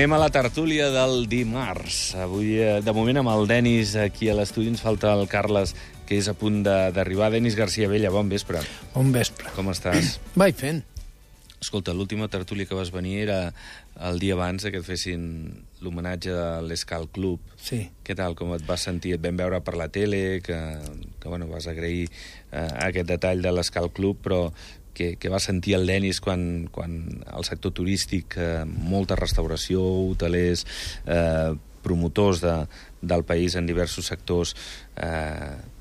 Anem a la tertúlia del dimarts. Avui, de moment, amb el Denis aquí a l'estudi, ens falta el Carles, que és a punt d'arribar. Denis García Vella, bon vespre. Bon vespre. Com estàs? Vaig fent. Escolta, l'última tertúlia que vas venir era el dia abans que et fessin l'homenatge de l'Escal Club. Sí. Què tal, com et vas sentir? Et vam veure per la tele, que bueno, vas agrair aquest detall de l'Escal Club, però què va sentir el Denis quan el sector turístic, molta restauració, hotelers, promotors del país en diversos sectors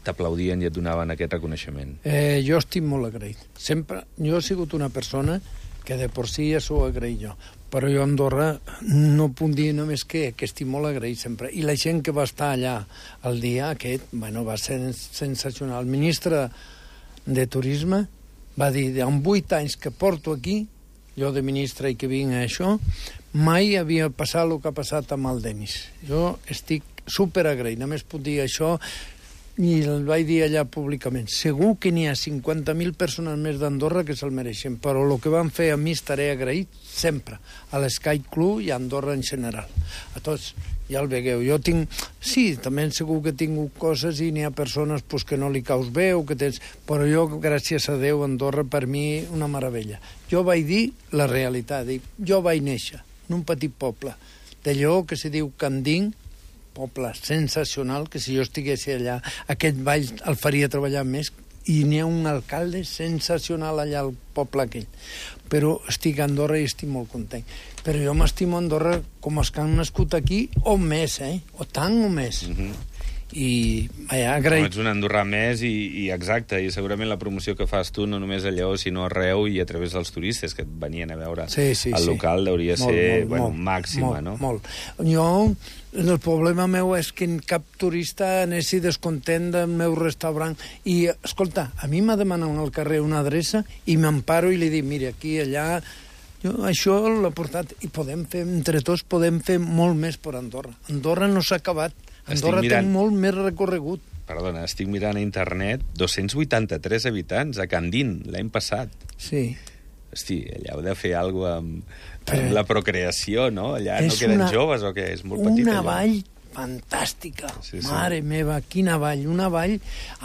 t'aplaudien i et donaven aquest reconeixement? Jo estic molt agraït. Sempre, jo he sigut una persona que de por si ja s'ho agraït jo, però jo a Andorra no puc dir només que estic molt agraït sempre. I la gent que va estar allà el dia aquest, bueno, va ser sensacional. El ministre de Turisme va dir, en 8 anys que porto aquí, jo de ministre i que vinc a això, mai havia passat el que ha passat amb el Denis. Jo estic superagraït, només puc dir això, i el vaig dir allà públicament. Segur que n'hi ha 50.000 persones més d'Andorra que se'l mereixen, però el que van fer a mi estaré agraït sempre, a l'Sky Club i a Andorra en general. A tots, ja el vegueu. Jo tinc... Sí, també segur que he tingut coses i n'hi ha persones pues, que no li caus bé o que tens... Però jo, gràcies a Déu, Andorra per mi una meravella. Jo vaig dir la realitat. Jo vaig néixer en un petit poble de Lleó que se diu Candín, poble sensacional, que si jo estigués allà, aquest ball el faria treballar més, i n'hi ha un alcalde sensacional allà al poble aquell. Però estic a Andorra i estic molt content. Però jo m'estimo a Andorra com els que han nascut aquí, o més, o tant o més. I agraït. Ets un andorrà més i exacte, i segurament la promoció que fas tu no només a Lleó sinó arreu i a través dels turistes que et venien a veure el local deuria ser màxima, no? Molt. Jo, el problema meu és que cap turista anessi descontent del meu restaurant i, escolta, a mi m'ha demanat al carrer una adreça i m'emparo i li dic, mira, aquí, allà, jo això l'he portat i podem fer, entre tots podem fer molt més per Andorra. Andorra no s'ha acabat. Andorra té molt més recorregut. Perdona, estic mirant a internet 283 habitants a Candín l'any passat. Sí. Hosti, allà heu de fer alguna cosa amb la procreació, no? Allà no queden joves o què? És molt petit, una vall fantàstica. Sí. Mare meva, quina vall. Una vall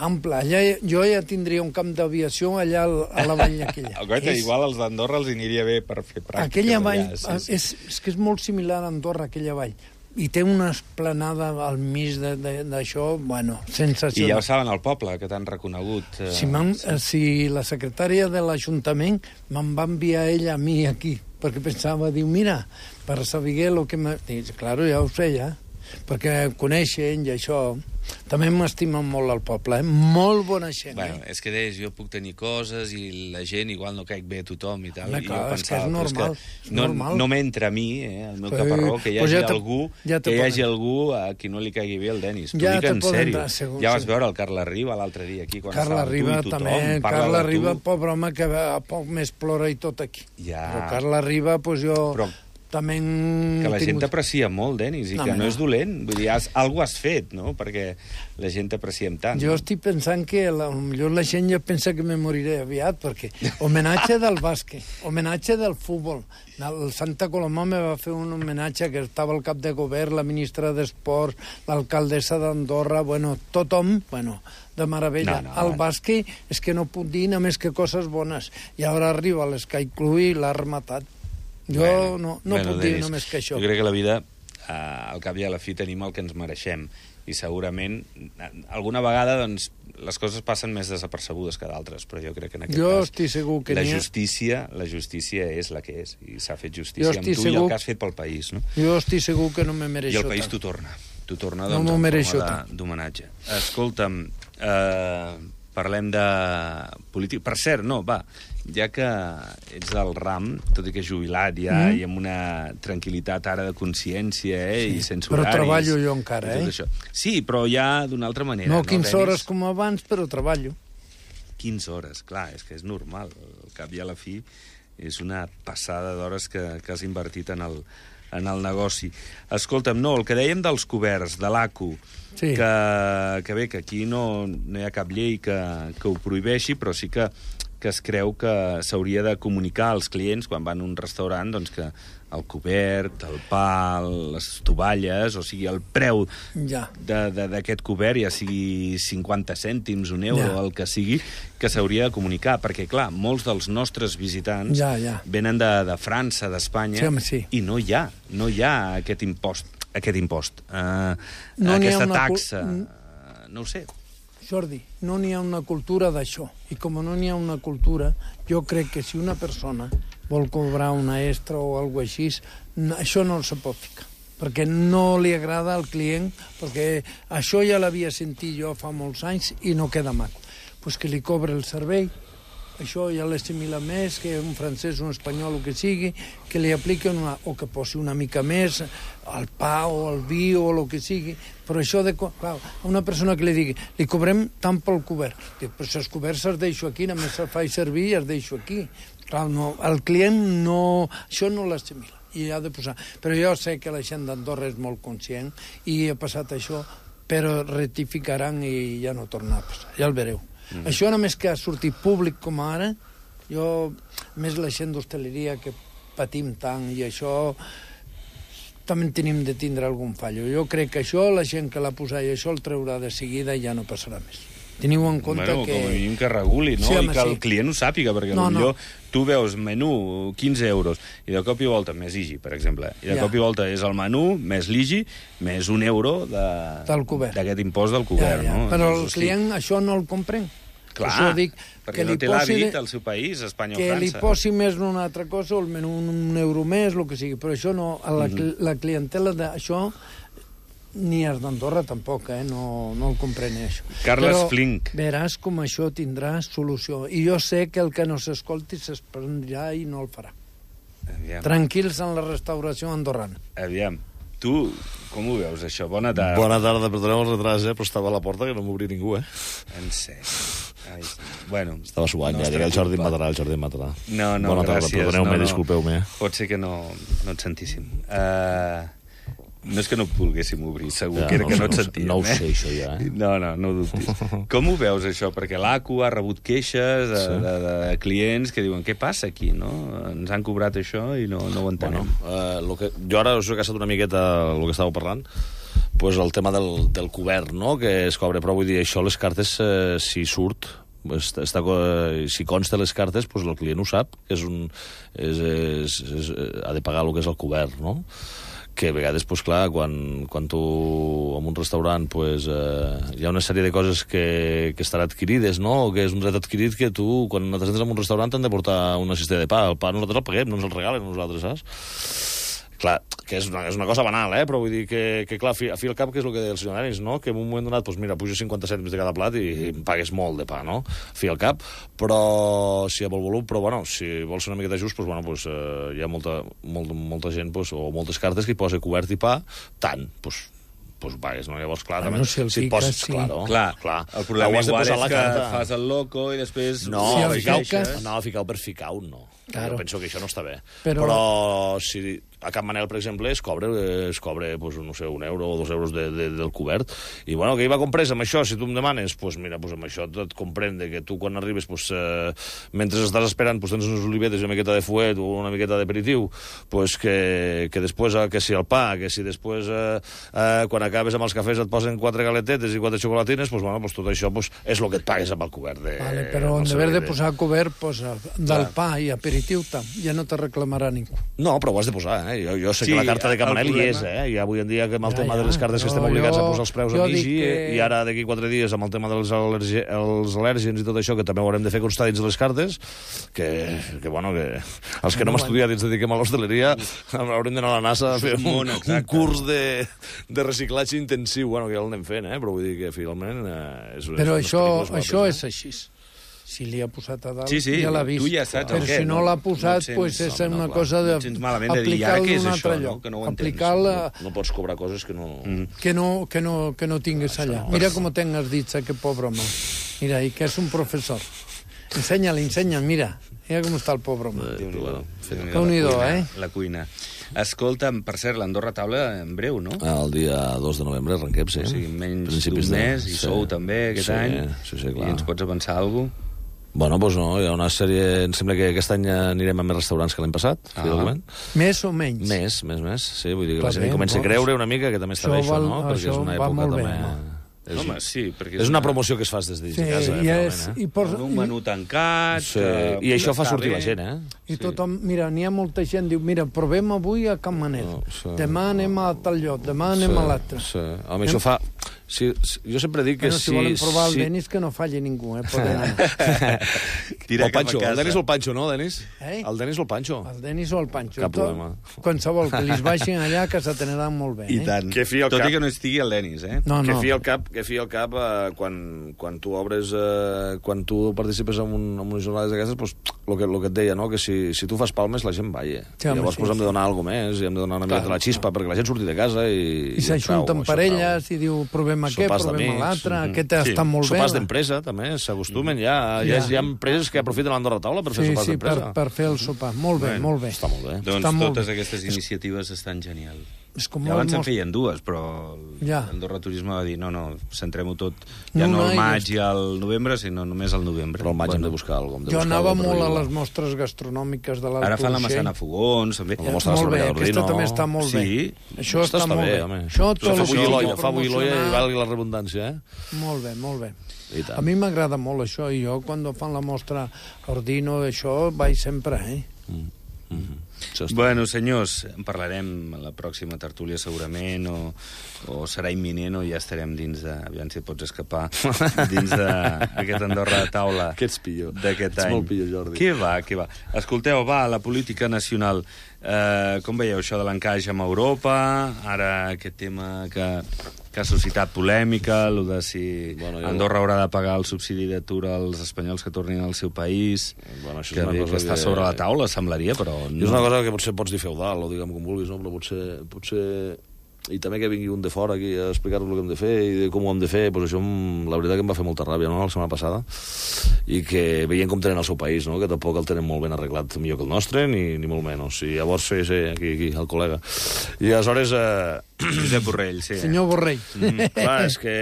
ampla. Allà, jo ja tindria un camp d'aviació allà a la vall aquella. Igual als d'Andorra els aniria bé per fer pràctiques. Aquella vall, és que és molt similar a Andorra, aquella vall. I té una esplanada al mig d'això, bueno, sensacional. I ja ho saben al poble, que t'han reconegut. Si la secretària de l'Ajuntament me'n va enviar ella a mi aquí, perquè pensava, diu, mira, per saber el que m'ha... Dic, claro, ja ho sé, ja, perquè coneixen i això... També m'estimen molt al poble, molt bona gent. Bueno, és que deies, jo puc tenir coses i la gent igual no caic bé a tothom i tal. Clar, és que és normal. No m'entra a mi, el meu caparró, que hi hagi algú a qui no li caigui bé el Denis. T'ho dic en sèrio. Ja vas veure el Carles Riba l'altre dia aquí, quan estava tu i tothom. Carles Riba, pobre home, que a poc més plora i tot aquí. Però Carles Riba, doncs jo... Que la gent t'aprecia molt, Denis, i que no és dolent. Vull dir, alguna has fet, no?, perquè la gent t'apreciem tant. Jo estic pensant que potser la gent ja pensa que me moriré aviat, perquè homenatge del bàsquet, homenatge del futbol. El Santa Coloma me va fer un homenatge que estava al cap de govern, la ministra d'Esports, l'alcaldessa d'Andorra, tothom, de meravella. El bàsquet és que no puc dir només que coses bones. I ara arriba l'Sky Club i l'ha rematat. Jo no puc dir només que això. Jo crec que la vida, al cap i a la fi, tenim el que ens mereixem. I segurament, alguna vegada, doncs, les coses passen més desapercebudes que d'altres, però jo crec que en aquest cas... estic segur que la justícia és la que és, i s'ha fet justícia amb tu i el que has fet pel país, no? Jo estic segur que no me mereixo tant. I el país t'ho torna. T'ho torna, doncs, en forma d'homenatge. Escolta'm, parlem de política. Per cert, ja que ets del RAM, tot i que jubilat ja, i amb una tranquil·litat ara de consciència i sense horaris... Però treballo jo encara, Sí, però ja d'una altra manera. No 15 hores com abans, però treballo. 15 hores, clar, és que és normal. Al cap i a la fi és una passada d'hores que has invertit en el negoci. Escolta'm, el que dèiem dels coberts, de l'ACU, que bé, que aquí no hi ha cap llei que ho prohibeixi, però sí que es creu que s'hauria de comunicar als clients quan van a un restaurant doncs, que el cobert, el pa, les tovalles, o sigui, el preu d'aquest cobert, ja sigui 50 cèntims, un euro, el que sigui, que s'hauria de comunicar, perquè, clar, molts dels nostres visitants venen de França, d'Espanya, i no hi ha aquest impost, aquesta taxa, no ho sé. Jordi, no n'hi ha una cultura d'això, i com no n'hi ha una cultura, jo crec que si una persona vol cobrar una extra o alguna cosa així, això no se pot ficar, perquè no li agrada al client, perquè això ja l'havia sentit jo fa molts anys i no queda maco. Pues que li cobre el servei, això ja l'assimila més, que un francès, un espanyol, o que sigui, que li apliqui o que posi una mica més al pa o al vi o el que sigui, però això clar, una persona que li digui, li cobrem tant pel cobert, dic, però si els coberts els deixo aquí, només se'ls faig servir i els deixo aquí. Clar, no, el client això no l'assimila i ha de posar. Però jo sé que la gent d'Andorra és molt conscient i ha passat això, però rectificaran i ja no tornarà a passar, ja el vereu. Això només que ha sortit públic com ara, més la gent d'hostaleria que patim tant i això també tenim de tindre algun fallo. Jo crec que això, la gent que l'ha posat i això el treurà de seguida i ja no passarà més. Teniu en compte que... Com a mínim que reguli, no? I que el client ho sàpiga, perquè potser tu veus menú 15 euros i de cop i volta, més IGI, per exemple, i de cop i volta és el menú més l'IGI més €1 d'aquest impost del cobert, no? Però el client això no el comprèn. Clar, perquè no té l'hàbit al seu país, Espanya o França. Que li posi més una altra cosa, o el menú €1 més, el que sigui, però això no, la clientela d'això ni els d'Andorra tampoc, no el comprèn això. Carles Flink. Veràs com això tindrà solució. I jo sé que el que no s'escolti s'esprendrà i no el farà. Tranquils en la restauració andorrana. Aviam, tu com ho veus, això? Bona tarda. Bona tarda, perdoneu el retras, però estava a la porta que no m'obria ningú, En sèrio. Bueno, estava suant, ja llega el Jordi Matarà, No, bona tarda, gràcies. Perdoneu-me, disculpeu-me. Pot ser que no et sentíssim. No és que no volguéssim obrir, segur que era que no et sentíem. No ho sé, això ja. No ho dubtis. Com ho veus, això? Perquè l'ACU ha rebut queixes de clients que diuen, què passa aquí, no? Ens han cobrat això i no ho entenem. Jo ara us he caçat una miqueta el que estàveu parlant, pues el tema del cobert, no?, que es cobra, però vull dir, això les cartes, si surt, si consta les cartes, pues el client ho sap, ha de pagar el que és el cobert, no?, que a vegades, pues, clar, quan tu en un restaurant pues, hi ha una sèrie de coses que estan adquirides, no?, o que és un dret adquirit que tu, quan te sents en un restaurant, t'han de portar una cistella de pa. El pa nosaltres el paguem, no ens el regalen nosaltres, saps? Clar, que és una cosa banal, però vull dir que clar, a fi al cap, que és el que deia el senyor Anis, no?, que en un moment donat, doncs mira, pujo 50 cèntims de cada plat i em pagues molt de pa, no?, a fi al cap, però si hi ha molt volum, però bueno, si vols ser una miqueta just, doncs bueno, hi ha molta gent, o moltes cartes que hi posa cobert i pa, tant, doncs ho pagues, no? Llavors, clar, també, si el poses, clar. El problema igual és que fas el loco i després... No, ficar-ho per ficar-ho, no. Jo penso que això no està bé. Però si a Can Manel, per exemple, es cobra pues, no sé, €1 o €2 del cobert. I, bueno, que hi va comprès amb això? Si tu em demanes, pues, mira, pues, amb això et comprende que tu, quan arribes, pues, mentre estàs esperant, pues, tens unes olivetes i una miqueta de fuet o una miqueta d'aperitiu, pues, que després, que si el pa, que si després, quan acabes amb els cafès et posen 4 galetetes i 4 xocolatines, pues, bueno, pues, tot això pues, és el que et pagues amb el cobert. Però en haver de posar cobert, posa del pa i aperitiu, ja no te reclamarà ningú. No, però ho has de posar, Jo sé que la carta de Can Manel hi és, i avui en dia que amb el tema de les cartes que estem obligats a posar els preus a IGI, i ara d'aquí 4 dies amb el tema dels al·lèrgens i tot això, que també ho haurem de fer constar dins de les cartes, que bueno, que els que no hem estudiat i ens dediquem a l'hostaleria haurem d'anar a la NASA a fer un curs de reciclatge intensiu, bueno, que ja l'anem fent, però vull dir que finalment... Però això és així. Si li ha posat a dalt, ja l'ha vist. Però si no l'ha posat, és una cosa d'aplicar-lo en un altre lloc. No pots cobrar coses que no... Que no tingues allà. Mira com tenc els dits, aquest pobre home. Mira, i que és un professor. Ensenya-li, mira. Mira com està el pobre home. Déu-n'hi-do, La cuina. Escolta'm, per cert, l'Andorra Taula en breu, no? El dia 2 de novembre arrenquem, sí. O sigui, menys d'un mes, i sou també aquest any. Sí, clar. I ens pots avançar alguna cosa? Bueno, doncs no, hi ha una sèrie... Em sembla que aquest any anirem a més restaurants que l'any passat, finalment. Més o menys? Més, sí. Vull dir que la gent comença a creure una mica que també està bé això, no? Perquè és una època també... Home, sí, perquè és una promoció que es fas des de casa, un menú tancat... I això fa sortir la gent, I tothom, mira, n'hi ha molta gent, diu, mira, provem avui a Can Manel, demà anem a tal lloc, demà anem a l'altre. Home, això fa... Jo sempre dic que si volen provar el Denis, que no falli ningú, poden anar. El Pancho, el Denis o el Pancho, no, Denis? El Denis o el Pancho? El Denis o el Pancho. Cap problema. Qualsevol que li baixin allà, que s'atendran molt bé. I tant. Tot i que no estigui el Denis, No. Que fi al cap quan tu obres, quan tu participes en unes jornades d'aquestes, doncs el que et deia, no? Que si tu fas palmes la gent balla. Llavors hem de donar alguna més, i hem de donar una mica de la xispa perquè la gent surti de casa i s'ajunten parelles i diu, provem aquest, provem l'altre, aquest està molt bé. Sopars d'empresa, també, s'acostumen ja. Hi ha empreses que aprofiten l'Andorra Taula per fer sopars d'empresa. Per fer el sopar. Molt bé, molt bé. Està molt bé. Doncs totes aquestes iniciatives estan genials. Abans en feien dues, però l'Andorra Turisme va dir no, centrem-ho tot, ja no al maig i al novembre, sinó només al novembre. Però al maig hem de buscar alguna cosa. Jo anava molt a les mostres gastronòmiques de l'Alt Urgell. Ara fan la Massana Fogons, també. Molt bé, aquesta també està molt bé. Això està molt bé. Això fa bullir l'olla i valgui la redundància, Molt bé, molt bé. A mi m'agrada molt això, i jo quan fan la mostra Ordino, això vaig sempre, Bueno, senyors, en parlarem a la pròxima tertúlia segurament, o serà imminent, o ja estarem dins de... Aviam si et pots escapar dins d'aquest Andorra de taula d'aquest any. Ets molt pillo, Jordi. Què va? Escolteu, la política nacional. Com veieu això de l'encaix amb Europa? Ara aquest tema que ha suscitat polèmica, el de si Andorra haurà de pagar el subsidi d'atur als espanyols que tornin al seu país, que està sobre la taula, semblaria, però no. És una cosa que potser pots dir feudal, o diguem com vulguis, no? Però potser... I també que vingui un de fora aquí a explicar-nos el que hem de fer i de com ho hem de fer, doncs això la veritat que em va fer molta ràbia, no?, la setmana passada, i que veient com tenen el seu país, no?, que tampoc el tenen molt ben arreglat, millor que el nostre, ni molt menys. I llavors, aquí, el col·lega. I aleshores... Josep Borrell, sí. Senyor Borrell. Clar, és que...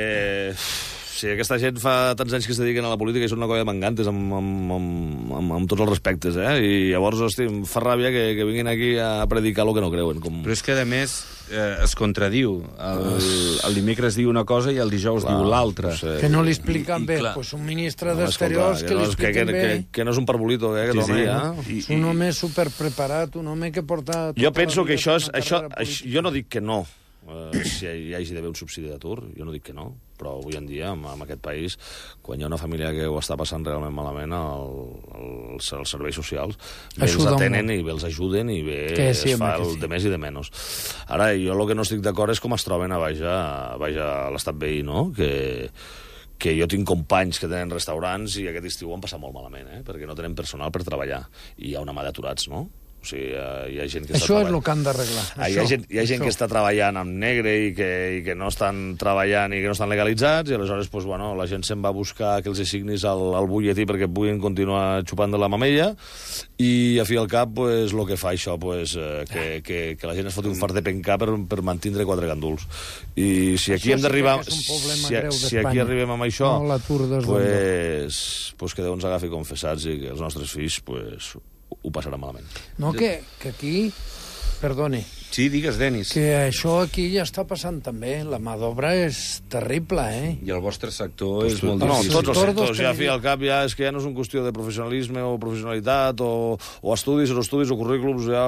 Si aquesta gent fa tants anys que es dediquen a la política i són una colla de mangantes amb tots els respectes, i llavors, hosti, em fa ràbia que vinguin aquí a predicar el que no creuen. Però és que, a més, es contradiu. El dimecres diu una cosa i el dijous diu l'altra. Que no li expliquen bé. Pues un ministre d'Exteriors que li expliquen bé. Que no és un parbolito, aquest home, És un home superpreparat, un home que porta... Jo penso que això... Jo no dic que no, si hi hagi d'haver un subsidi d'atur, jo no dic que no, però avui en dia, en aquest país, quan hi ha una família que ho està passant realment malament, els serveis socials bé els atenen i bé els ajuden i bé es fa el de més i de menys. Ara, jo el que no estic d'acord és com es troben a baix a l'estat veí, no?, que jo tinc companys que tenen restaurants i aquest estiu ho han passat molt malament, perquè no tenen personal per treballar i hi ha una mà d'aturats, no? O sigui, hi ha gent que això és el que han d'arreglar. Hi ha gent que està treballant amb negre i que no estan treballant i que no estan legalitzats, i aleshores la gent se'n va a buscar que els assignis al butlletí perquè puguin continuar xupant de la mamella, i a fi al cap el que fa això que la gent es foti un fart de pencar per mantindre 4 ganduls. I si aquí hem d'arribar, si aquí arribem amb això, pues que Déu ens agafi confessats i que els nostres fills ho passarà malament. No, que aquí... Perdoni. Sí, digues, Denis. Que això aquí ja està passant també. La mà d'obra és terrible, I el vostre sector és molt difícil. No, tots els sectors, ja a fi al cap, és que ja no és una qüestió de professionalisme o professionalitat o estudis o currículums, ja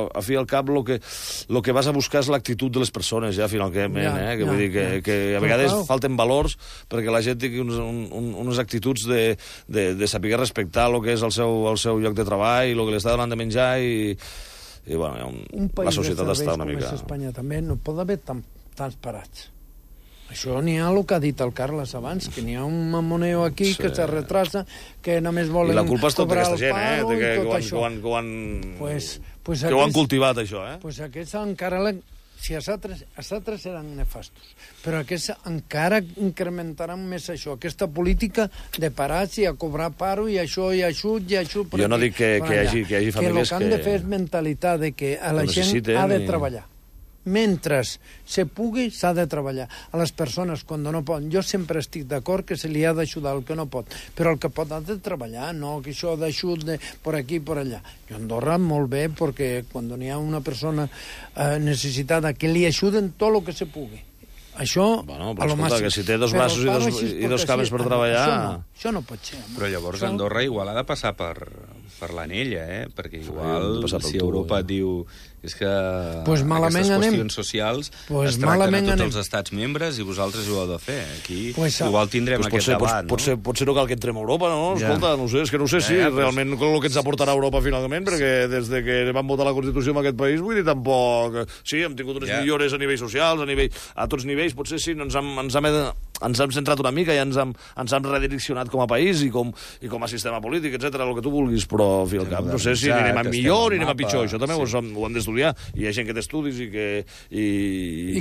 a fi al cap el que vas a buscar és l'actitud de les persones, ja finalment, que vull dir que a vegades falten valors perquè la gent tingui unes actituds de saber respectar el que és el seu lloc de treball, el que li està donant de menjar i la societat està una mica... Un país de serveis com és Espanya també no pot haver tants parats. Això n'hi ha el que ha dit el Carles abans, que n'hi ha un mamoneo aquí que se retrasa, que només volen cobrar el paro i tot això. I la culpa és tota aquesta gent, que ho han cultivat, això, Doncs aquests encara... Si els altres eren nefastos, però aquests encara incrementaran més això, aquesta política de parats i a cobrar paro i això i ajut i ajut... Jo no dic que hi hagi famílies que... el que han de fer és mentalitat de que la gent ha de treballar. mentre se pugui, s'ha de treballar. A les persones, quan no poden, jo sempre estic d'acord que se li ha d'ajudar el que no pot, però el que pot ha de treballar, no que això d'ajut per aquí i per allà. I a Andorra molt bé, perquè quan hi ha una persona necessitada, que li ajuden tot el que se pugui. Això, bueno, però escolta, que si té dos braços i dos cames per treballar... Això no pot ser. Però llavors Andorra igual ha de passar per l'anella, perquè igual si Europa diu és que aquestes qüestions socials es tracten a tots els estats membres i vosaltres ho heu de fer. Aquí igual tindrem aquest debat, no? Potser no cal que entrem a Europa, no? Escolta, no sé, és que no sé si realment el que ens aportarà Europa finalment, perquè des que van votar la Constitució en aquest país, vull dir, tampoc... Sí, hem tingut unes millores a nivell socials, a tots nivells, potser sí, ens hem centrat una mica i ens hem redireccionat com a país i com a sistema polític, etc, el que tu vulguis, però al fi al cap no sé si anem a millor ni anem a pitjor, això també ho hem d'estudiar, i hi ha gent que té estudis i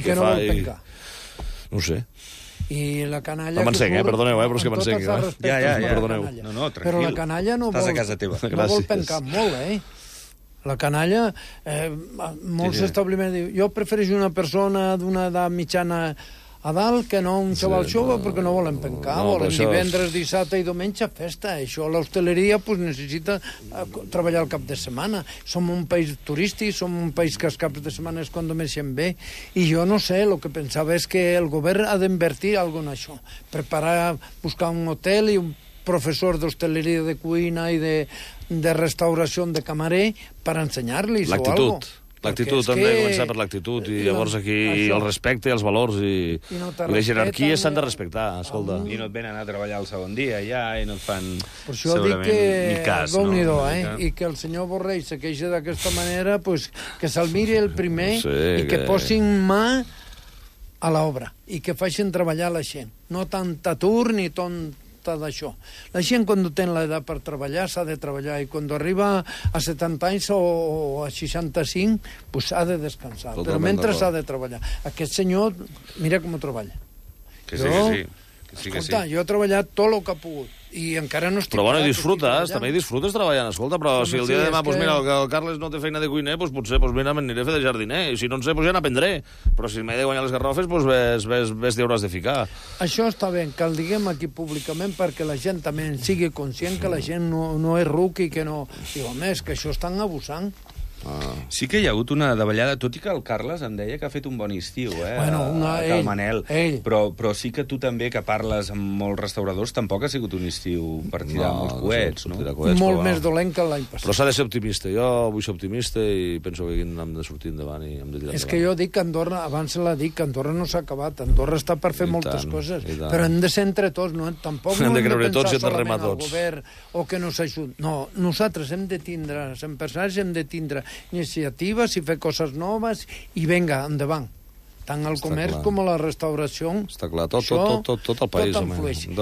que no vol pencar. No sé. I la canalla... No m'encenc, perdoneu, però és que m'encenc. Perdoneu. No, tranquil. Però la canalla no vol pencar molt, La canalla, molts establiments diuen, jo prefereixo una persona d'una edat mitjana a dalt que no un xaval jove, perquè no volen pencar, volen divendres, dissabte i diumenge festa. Això l'hostaleria necessita treballar el cap de setmana. Som un país turístic, som un país que els caps de setmana és quan només se'n ve, i jo no sé, el que pensava és que el govern ha d'invertir alguna en això, buscar un hotel i un professor d'hostaleria, de cuina i de restauració, de camarer, per ensenyar-los o alguna cosa. L'actitud, hem de començar per l'actitud, i llavors aquí el respecte, els valors i les jerarquies s'han de respectar, escolta. I no et venen a treballar el segon dia ja, i no et fan segurament ni cas. I que el senyor Borrell se queixa d'aquesta manera, que se'l miri el primer i que posin mà a l'obra i que facin treballar la gent. No tant atur ni tant d'això. La gent, quan té l'edat per treballar, s'ha de treballar, i quan arriba a 70 anys o a 65, ha de descansar. Però mentre s'ha de treballar. Aquest senyor, mira com ho treballa. Que sí. Escolta, jo he treballat tot el que he pogut, i encara no estic... Però bueno, disfrutes, també disfrutes treballant, escolta, però si el dia de demà, mira, el Carles no té feina de cuiner, potser, mira, m'aniré a fer de jardiner, i si no en sé, ja n'aprendré, però si m'he de guanyar les garrofes, ves t'hi hauràs de ficar. Això està bé, que el diguem aquí públicament perquè la gent també en sigui conscient que la gent no és ruc i que no... Diu, home, és que això estan abusant. Sí que hi ha hagut una davallada, tot i que el Carles em deia que ha fet un bon estiu, el Manel, però sí que tu també, que parles amb molts restauradors, tampoc ha sigut un estiu per tirar molts coets, no? Molt més dolent que l'any passat. Però s'ha de ser optimista, jo vull ser optimista i penso que aquí hem de sortir endavant i hem de tirar endavant. És que jo dic que Andorra, abans l'ha dit, que Andorra no s'ha acabat, Andorra està per fer moltes coses, però hem de ser entre tots, tampoc no hem de pensar solament al govern o que no s'ajudi. No, nosaltres hem de tindre, els empresaris hem de tindre iniciatives i fer coses noves i venga, endavant. Tant el comerç com la restauració. Està clar, tot el país.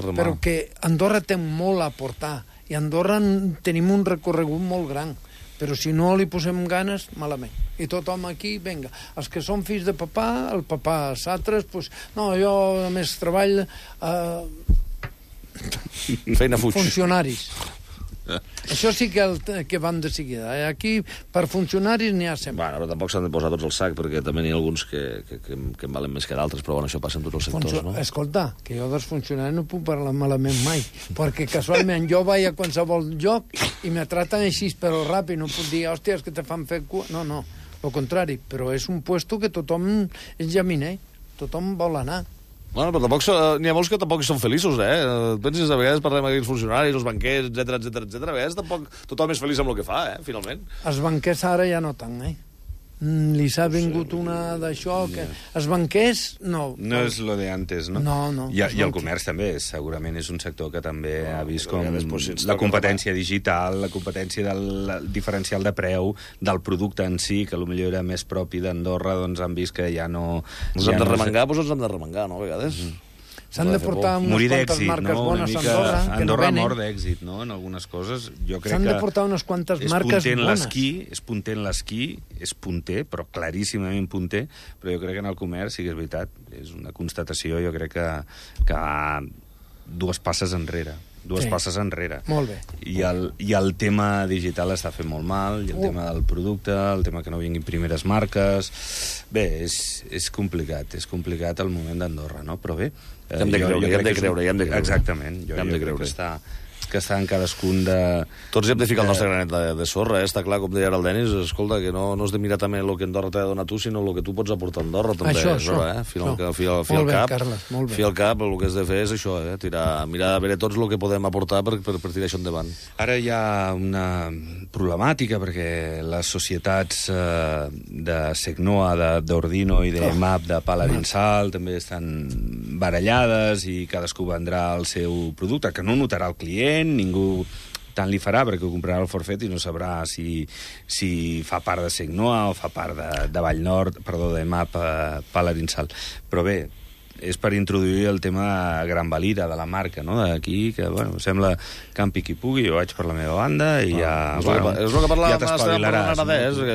Però que Andorra té molt a aportar i a Andorra tenim un recorregut molt gran, però si no li posem ganes, malament. I tothom aquí, venga, els que són fills de papà, el papà, els altres, no, jo a més treball feina fuig. Funcionaris. Això sí que van de seguida. Aquí, per funcionaris, n'hi ha sempre. Bueno, però tampoc s'han de posar tots al sac, perquè també n'hi ha alguns que en valen més que d'altres, però bueno, això passa en tots els sectors, no? Escolta, que jo dels funcionaris no puc parlar malament mai, perquè casualment jo vaig a qualsevol lloc i me traten així, però ràpid, no puc dir, hòstia, és que te fan fer cua... No, al contrari, però és un puesto que tothom és llaminer, tothom vol anar. Bueno, però tampoc n'hi ha molts que tampoc són feliços, Penses, a vegades parlem d'aquells funcionaris, els banquers, etc. A vegades tampoc tothom és feliç amb el que fa, finalment. Els banquers ara ja no tant, Li s'ha vingut una d'això, que els banquers, no. No és lo de antes, no? No. I el comerç també, segurament és un sector que també ha vist com la competència digital, la competència del diferencial de preu, del producte en si, que potser era més propi d'Andorra, doncs han vist que ja no... Ens hem de remengar, doncs ens hem de remengar, no?, a vegades. S'han de portar unes quantes marques bones a Andorra, que no Andorra venen. mort d'èxit, no?, en algunes coses. Jo crec S'han de portar unes quantes marques bones. És punter en l'esquí, és punter, però claríssimament punter, però jo crec que en el comerç, sí que és veritat, és una constatació, jo crec que dues passes enrere. dues passes enrere. Molt bé. I el tema digital està fent molt mal, i el tema del producte, el tema que no vinguin primeres marques... Bé, és complicat el moment d'Andorra, no? Però bé... Hem de creure. Exactament. Jo crec que està en cadascun de... Tots hi hem de ficar el nostre granet de sorra, està clar, com deia ara el Denis, escolta, que no has de mirar també el que Andorra t'ha de donar tu, sinó el que tu pots aportar a Andorra, també. Això. Fi al cap, el que has de fer és això, mirar a veure tots el que podem aportar per tirar això endavant. Ara hi ha una problemàtica, perquè les societats de Segnoa, d'Ordino i d'EMAP, de Paladinsal, també estan barallades i cadascú vendrà el seu producte, que no notarà el client, ningú tant li farà perquè ho comprarà el forfet i no sabrà si fa part de Segnoa o fa part de Vallnord, perdó, de MAP Paladinsal. Però bé, és per introduir el tema Gran Valira, de la marca, no?, d'aquí, que, bueno, sembla campi qui pugui, jo vaig per la meva banda i ja... És el que parlàvem, ja t'espavilaràs.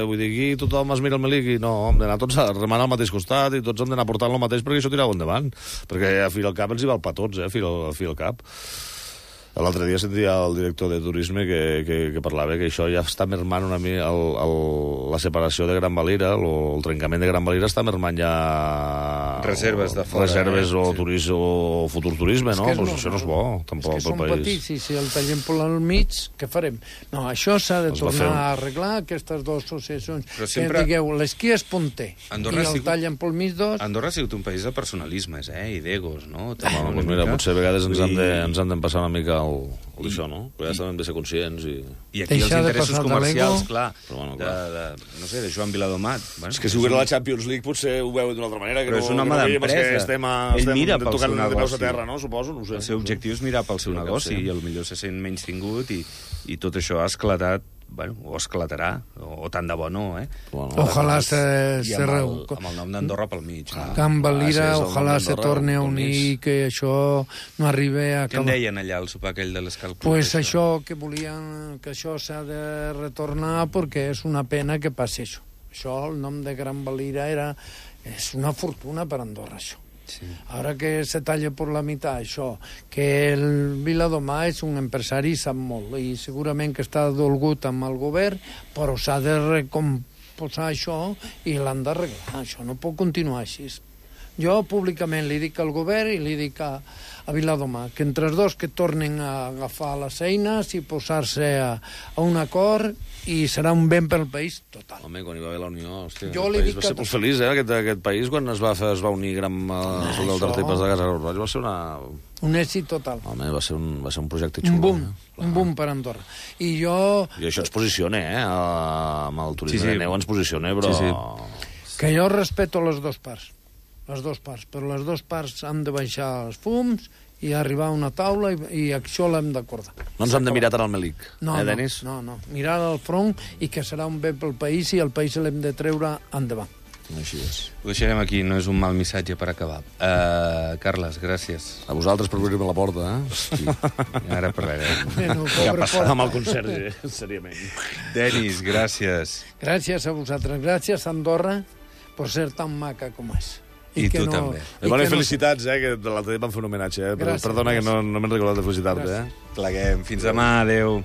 Vull dir, aquí tothom es mira el melic i no, hem d'anar tots a remenar al mateix costat i tots hem d'anar portant el mateix perquè això tirau endavant. Perquè a fi al cap ens hi val per tots, a fi al cap. L'altre dia sentia el director de turisme que parlava que això ja està mermant una mica la separació de Gran Valira, el trencament de Gran Valira està mermant ja... Reserves de fora. Reserves o turisme o futur turisme, no? Pues això no és bo, tampoc, pel país. És que són petits, i si el tallem per al mig, què farem? No, això s'ha de tornar a arreglar, aquestes dues associacions. Que digueu, l'esquí és punter, i el tallen pel mig dos... Andorra ha sigut un país de personalismes, i d'egos, no? Mira, potser a vegades ens han de passar una mica d'això, no? Però ja hem de ser conscients i aquí els interessos comercials, clar, no sé, de Joan Viladomat. És que si ho era la Champions League potser ho veu d'una altra manera. Però és un home d'empresa. Ell mira pel seu negoci. Suposo, no ho sé. El seu objectiu és mirar pel seu negoci i potser se sent menys tingut i tot això ha esclatat, o esclatarà, o tant de bo no, Ojalà se... Amb el nom d'Andorra pel mig. Can Valira, ojalà se torni a unir, que això no arribi a... Què en deien allà al sopar aquell de l'Escal Club? Pues això, que volien que això s'ha de retornar perquè és una pena que passi això. Això, el nom de Gran Valira és una fortuna per Andorra, això. Sí. Ara que se talla per la meitat això, que el Viladomà és un empresari, sap molt, i segurament que està dolgut amb el govern, però s'ha de recomposar això i l'han d'arreglar. Això no pot continuar així. Jo públicament li dic al govern i li dic a Viladomà que entre els dos que tornen a agafar les eines i posar-se a un acord i serà un ben pel país total. Home, quan hi va haver la Unió, hòstia, jo aquest país va ser molt feliç, aquest país, quan es va unir gran del Tartepes de Casa Roig, va ser un èxit total. Home, va ser un projecte xulo. Un boom per Andorra. I això ens posiciona, amb el turisme de neu ens posiciona, però... Que jo respeto les dues parts, però les dues parts han de baixar els fums i arribar a una taula i això l'hem d'acordar. No ens hem de mirar tant al melic, Denis? No, mirar al front i que serà un bé pel país i el país l'hem de treure endavant. Així és. Ho deixarem aquí, no és un mal missatge per acabar. Carles, gràcies. A vosaltres per obrir-me la porta, Hosti, ara parlarem. Què ha passat amb el conserge, seriament. Denis, gràcies. Gràcies a vosaltres. Gràcies a Andorra per ser tan maca com és. I tu també. Bones felicitats, que l'altre dia vam fer un homenatge. Perdona que no m'he recordat de felicitar-te. Pleguem. Fins demà, adeu.